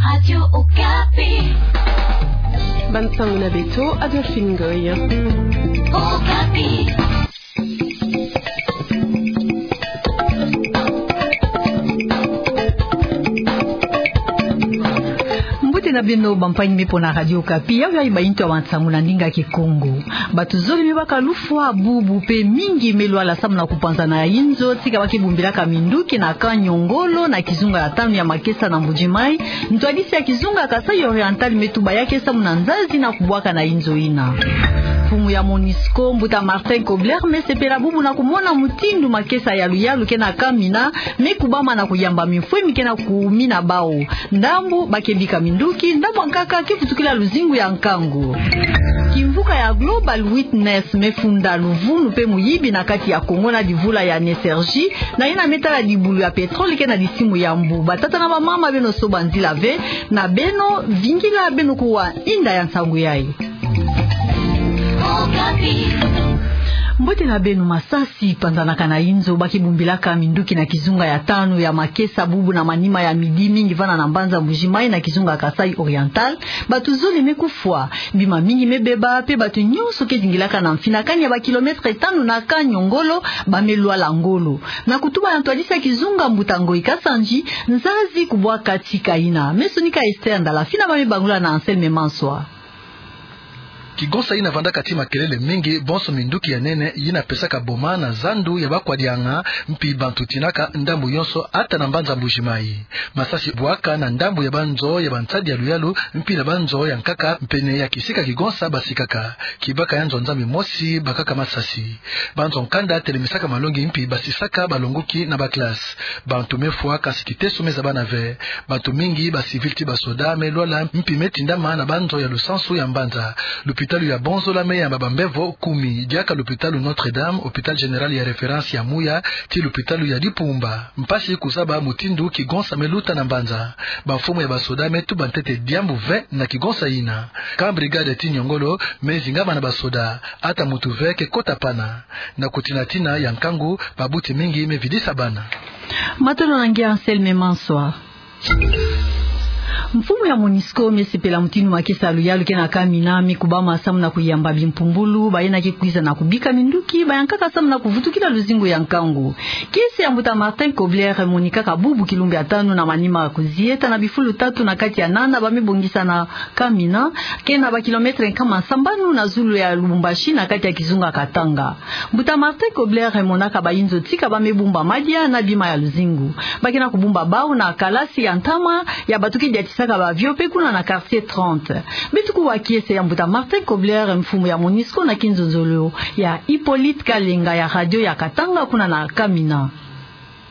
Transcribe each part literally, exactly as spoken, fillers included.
Radio Okapi. Bansangu na beto, Adolphine Ngoy. Okapi. Mbote na beno, bampangi me pona Radio Okapi, yayi bayintu ya bansangu na ndinga Kikongo. Bato zole me baka lufwa, bubu pe mingi me lwala samu na kupanzana ya inzo, tika ba ke bumbilaka minduki na camp Niongolo na kizunga ya tanu ya Makesa na Mbuji-Mayi, ntwadisi ya kizunga Kasaï Oriental me tuba ya ke samu na nzazi na kubwaka na inzo ina. Mfumu ya MONUSCO, mbuta Martin Kobler, me sepela bubu na kumona mutindu makesa ya luyalu ke na kamina, me kubama na kuyamba mifwe mi ke na kumina bawu. Ndambu ba ke bika minduki, ndambu ya nkaka ke vutukila luzingu ya nkangu. Kimvuka ya Global Witness me funda luvunu pe muyibi na kati ya Congo na divula ya NESRJ, na yina me tala dibulu ya pétrole ke na disimu ya mbu. Batata na bamama, beno soba nzila ve, na beno vingila, beno kuwa inda ya nsangu yayi. Mbote na beno. Masasi panzanaka na inzo, ba ke bumbilaka minduki na kizunga ya tanu ya Makesa bubu na manima ya midi mingi vana na mbanza Mbuji-Mayi na kizunga Kasaï Oriental. Bato zole me kufwa, bima mingi me beba, pe bato nyonso ke zingilaka na mfinakani ya ba kilomètre tanu na camp Niongolo ba me lwala ngolo. Na kutuba ya ntwadisi ya kizunga, mbuta Ngoy Kasanji, nzazi kubwaka tika ina. Me sonika Esther Ndala Fina, ba me bangula na Anselme Manswa. Kigonsa yina vandaka ti makelele mingi, bonso minduki ya nene yina pesaka boma na zandu ya bakwadianga, mpi bantu tinaka ndambu yonso, ata na mbanza Mbuji-Mayi. Masasi bwaka na ndambu ya banzo ya bansadi ya luyalu, mpi na banzo ya nkaka, mpene ya kisika kigonsa ba sikaka. Kibaka ya nzo-nzambi mosi bakaka masasi. Banzo nkanda telemisaka malongi mpi basisaka balongoki na ba classe. Bantu me fwa, kasi kiteso me zabana ve. Bantu mingi, ba civil ti ba soda, me lwala, mpi me tindama na banzo ya lusansu ya mbanza. Lupitalu ya Bonzola me yamba bambevo kumi, diaka lupitalu Notre-Dame, hôpital général ya référence ya Mouya, ti lupitalu ya Dipumba. Mpasi kuzaba mutindu kigonsa me luta na mbanza. Bamfumu ya ba soda me tuba ntete diambu ve na kigonsa yina. Camp brigade ti Niongolo me zingama na ba soda. Ata muntu ve ke kota pana. Na kutinatina ya nkangu, babuti mingi me vidisa bana. Matondo na nge Anselme Manswa. Mfumu ya MONUSCO me sepela mutindu makesa ya luyalu ke na kamina me kubama samu na kuyamba bimpumbulu, bayina ke kwiza na kubika minduki, ba ya nkaka samu na kuvutukila luzingu ya nkangu. Kiese ya mbuta Martin Kobler emonikaka bubu kilumbu ya tanu na manima kuzieta na bifulu tatu na kati ya nana ba me bongisa na kamina, ke na ba kilomètre nkama sambanu na zulu ya Lubumbashi na kati ya kizunga Katanga. Mbuta Martin Kobler emonaka bayinzo tika ba me bumba madia na bima ya luzingu. Ba ke na kubumba bawu na kalasi ya ntama ya bato ke diatisaka ba avion pe kuna na quartier trente. Beto kuwa kiese ya mbuta Martin Kobler, mfumu ya MONUSCO, na kinzonzolo ya Hippolyte Kalenga ya radio ya Katanga kuna na kamina.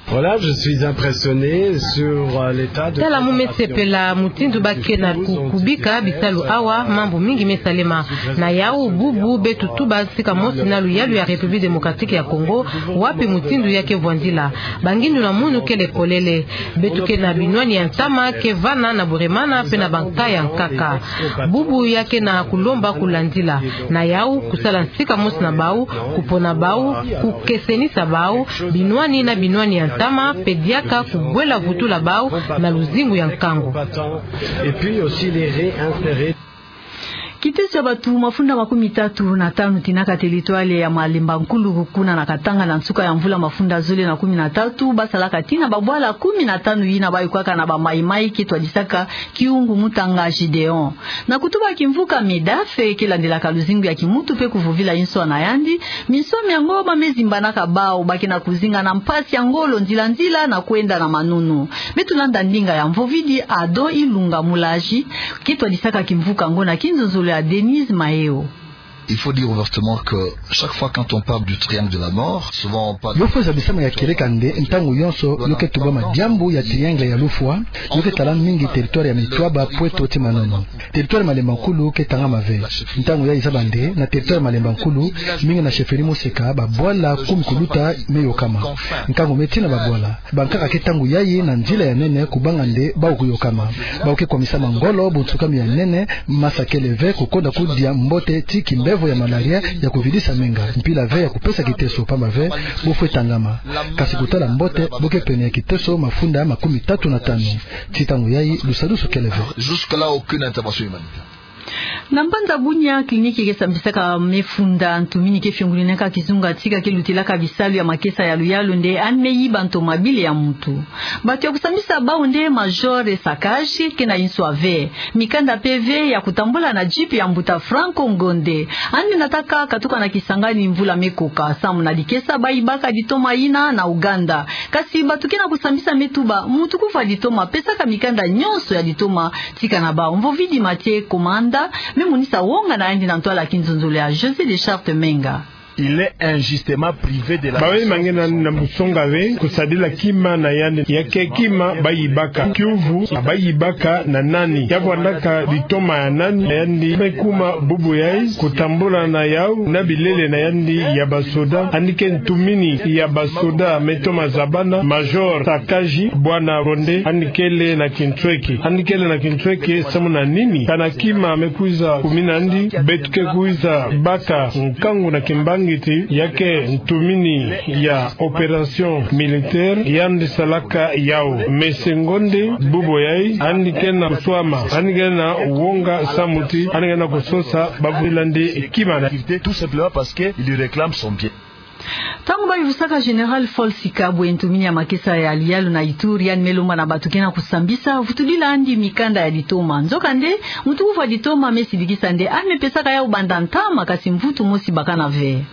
Voilà, je suis impressionné sur, euh, l'état de préparation. Tala, mu me sepela mutindu ba ke na ku-, kubika bisalu awa, mambu mingi me salema. Na yawu, bubu beto tuba sika mosi na luyalu ya République démocratique ya Congo, wapi mutindu ya ke vwandila. Bangindu na munu kele polele. Beto ke na binwani ya ntama ke vana na Bweremana pe na banka ya nkaka. Bubu ya ke na kulomba kulandila. Na yawu, kusala sika mosi na bawu, kupona bawu, kukesenisa bawu, binwani na binwani ya ntama, pe diaka kubwela vutula bawu na luzingu ya nkangu. Et puis aussi les réinsérer. Kiteso ya bato mafunda makumi tatu na tanu tinaka territoire ya Malemba Nkulu kuna na Katanga na nsuka ya mvula mafunda zole na kumi na tatu, ba salaka tina babwala kumi na tanu yina ba yokwaka na ba Maï-Maï ke twadisaka Kiungu Mutanga Gideon. Na kutuba kimvuka MEDAF ke landelaka luzingu ya kimuntu pe kuvovila inswa na yandi, minswa miango ba me zimbanaka bawu, ba ke na kuzinga na mpasi ya ngolo nzila-nzila na kwenda na manunu. Beto landa ndinga ya mvovidi Ado Ilunga Mulaji, ke twadisaka kimvuka yango na kinzonzolo ya Denise Maeo. Il faut dire ouvertement que chaque fois quand on parle du triangle de la mort, souvent on parle... Yo fwe zabisama ya kieleka nde ntangu yonso yo ke tubama diambu ya triangle ya lufwa, yo ke tala mingi territoire ya Mitwaba, Pweto ti Manono. Territoire Malemba Nkulu ke tangama ve. Ntangu yayi zaba nde na territoire Malemba Nkulu, mingi na chefferie Moseka, babwala kumi kuluta me yokama. Nkangu me tina babwala. Bankaka ke ntangu yayi na nzila ya nene kubanga nde bawu kuyokama. Bawu ke kwamisama ngolo, bunsukami ya nene, masa kele ve, kukonda kudia mbote ti kimbe- Evo ya malaria ya kuvidisa menga, mpila ve ya kupesa kiteso pamba ve bo fwe tangama. Kasi kutala mbote, bo ke pene ya kiteso mafunda makumi tatu na tanu. Ti ntangu yayi, lusadusu kele ve. Jusque-là, aucune intervention humanitaire. Na mbanza Bunia, clinique ke sambisaka mefunda ntumini ke fiongolininaka kizunga tika ke lutilaka bisalu ya makesa ya luyalu nde yandi me yiba ntoma bile ya muntu. Bato ya kusambisa bawu nde Major Sakaji, ke na inswa ve. Mikanda mpe ve ya kutambula na jeep ya mbuta Franco Ngonde. Yandi nataka katuka na Kisangani mvula me koka, samu na dikesa bayibaka ditoma yina na Uganda. Kasi bato ke na kusambisa me tuba, muntu kuvwa ditoma pesaka mikanda nyonso ya ditoma tika na bawu. Mvovidi Mathieu Komanda me monisa wonga na yandi na ntwala ya kinzonzolo ya José Deschartes Menga. Il est injustement privé de la... Bawe mangena na musonga ve kusadila kima na yandi, ya ke kima bayibaka. Kiuvu, bayibaka na nani? Ya vwandaka ditoma ya nani? Yandi me kuma bubu yayi kutambula na yawu na bilele na yandi ya basoda. Yandi ke ntumini ya basoda me toma zabana, Major Sakaji, bwana Ngonde, yandi kele na kintweki. Yandi kele na kintweki samu na nini? Kana kima me kwiza kumina yandi, beto ke kwiza baka nkangu na kimbangi ti ya ke ntumini ya opération militaire, yandi salaka yawu. Monsieur Ngonde, bubu yayi, yandi ke na kuswama, yandi ke na wonga samu ti yandi ke na kusosa bavwila yandi kima na... Tout simplement parce que il lui réclame son bien. Ntangu bayuvusaka Général Faure Sikabwe, ntumini ya makesa ya luyalu na Ituri, yandi me lomba na bato ke na kusambisa, vutudila yandi mikanda ya ditoma. Nzokande, muntu kuvwa ditoma me sidikisa nde yandi me pesaka yawu banda ntama, kasi mvutu mosi bakana ve.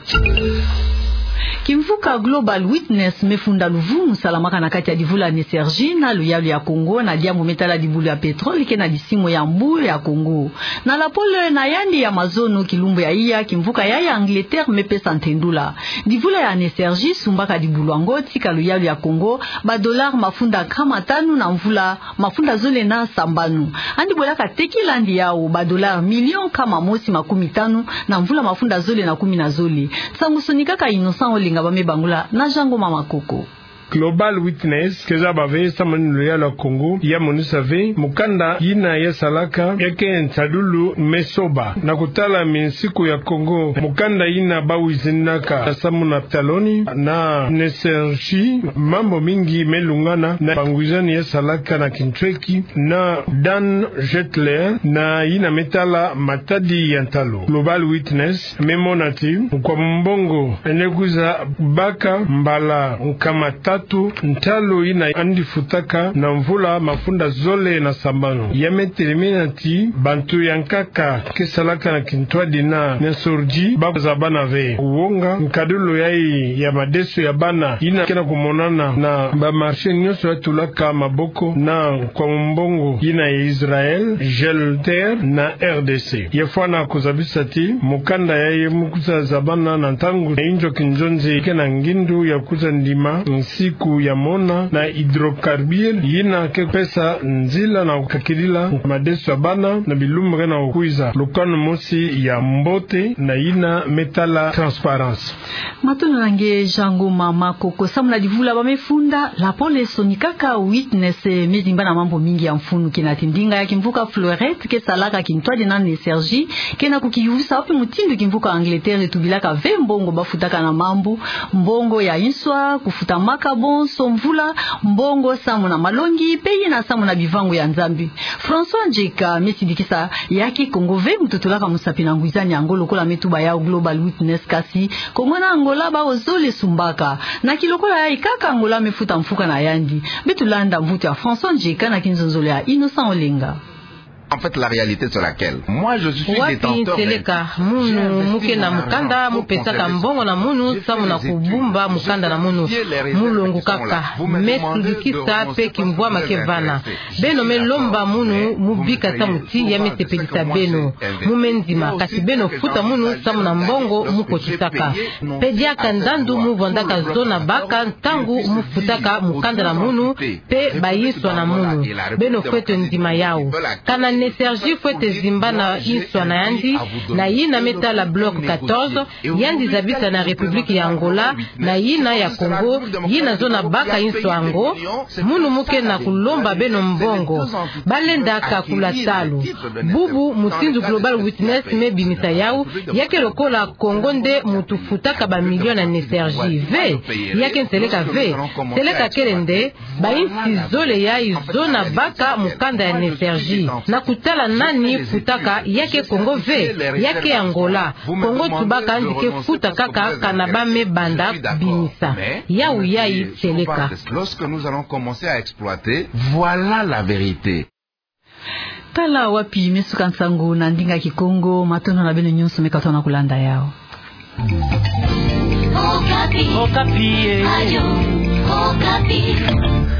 Kimvuka Global Witness me funda luvumu salamaka na kati ya divula NESRJ na luyalu ya Congo na diambu me tala dibulu ya pétrole ke na disimo ya mbu ya Congo. Na lapole na yandi ya mazono kilumbu ya iya, kimvuka yayi ya Angleterre me pesa ntendula. Divula ya NESRJ sumbaka dibulu yango tika luyalu ya Congo ba dollars mafunda nkama tanu na mvula mafunda zole na sambanu. Yandi bwelaka tekila yandi yawu ba dollars million nkama mosi makumi tanu na mvula mafunda zole na kumi na zole. Nsangu sonikaka Innocent Olenga ba me bangula na Jean Ngoma Makoko. Global Witness ke zaba ve samu na luyalu ya Congo, ya monisa ve mukanda yina ya salaka ya ke nsadulu me soba na kutala minsiku ya Congo. Mukanda yina bawizinaka samu na taloni na NESRJ, mambu mingi me lungana na bangwizani ya salaka na kintweki na Dan Gertler, na yina me tala matadi ya ntalu. Global Witness me mona ti nkwa mumbongo ene kwiza baka mbala nkama tatu ntalu yina yandi futaka na mvula mafunda zole na sambanu. Ya me telemena ti bantu ya nkaka ke salaka na kintwadi na NESRJ ba zabana ve wonga nkadulu yayi ya madeso ya bana yina ke na kumonana na ba marché nyonso ya tulaka maboko na nkwa mumbongo yina ya Israël, Gertler na R D C. Ya fwana kuzabisa ti mukanda yayi mu kwiza zabana na ntangu ya inzo kinzonzi ke na ngindu ya kwiza ndima nsiku ya mona na hydrocarbures yina ke pesa nzila na kukakidila madeso ya bana na bilumbu ke na kukwiza. Lukanu mosi ya mbote na yina me tala transparence. Matondo na nge Jean Ngoma Makoko. Samu na divula ba me funda, lapole sonikaka Witness me zimba na mambu mingi ya mfunu, kina ti ndinga ya kimvuka Fleurette ke salaka kintwadi na NESRJ ke na kukiyuvisa wapi mutindu kimvuka Angleterre etubilaka ve mbongo ba futaka na mambu, mbongo ya inswa, kufuta maka bonso mvula, mbongo samu na malongi, mpe yina samu na bivangu ya Nzambi. François Ndjeka me sidikisa ya ke Congo ve muntu tulaka musapi na ngwizani yango lokola me tuba yawu Global Witness, kasi Congo na Angola bawu zole sumbaka. Na kilokola yayi kaka Angola me futa mfuka na yandi. Beto landa mvutu ya François Ndjeka na kinzonzolo ya Innocent Olenga. En fait, la réalité sur laquelle moi je suis détenteur d'un titre. Wapi nseleka, munu mu ke na mukanda mu pesaka mbongo na munu samu na kubumba mukanda na munu. Mu longo kaka, me sindikisa mpe kimvwama ke vana. Beno me lomba munu mu bika samu ti ya me sepelisa beno. Mu me ndima, kasi beno futa munu samu na mbongo mu kotisaka. Mpe diaka ndandu mu vwandaka zona baka ntangu mu futaka mukanda na munu mpe bayinswa na munu. Beno fwete ndima yawu. Kana Nesergi fwete zimbana inswa na yandi, na yina me tala bloc quatorze, yandi zabisa na République ya Angola, na yina ya Congo, yina zona baka inswa ngo, munu mu kena kulomba beno mbongo, balenda kakula talu. Bubu mutindu Global Witness me bimisa yawu, ya ke lokola Congo nde mutu futaka ba millions na Nesergi. Ve, ya ke nseleka ve, seleka kele nde, ba insi zole yayi zona baka mukanda ya Nesergi. Na kutala nani futaka, ya ke Congo ve, ya ke Angola. Congo tubaka nzike futa kaka kana ba me banda bimisa. Yawu yayi seleka. Lorsque nous allons commencer à exploiter, voilà la vérité. Tala wapi me suka nsangu na ndinga Kikongo, matondo na beno nyonso me katona kulanda yawu. Okapi. Okapi, eh. Radio Okapi.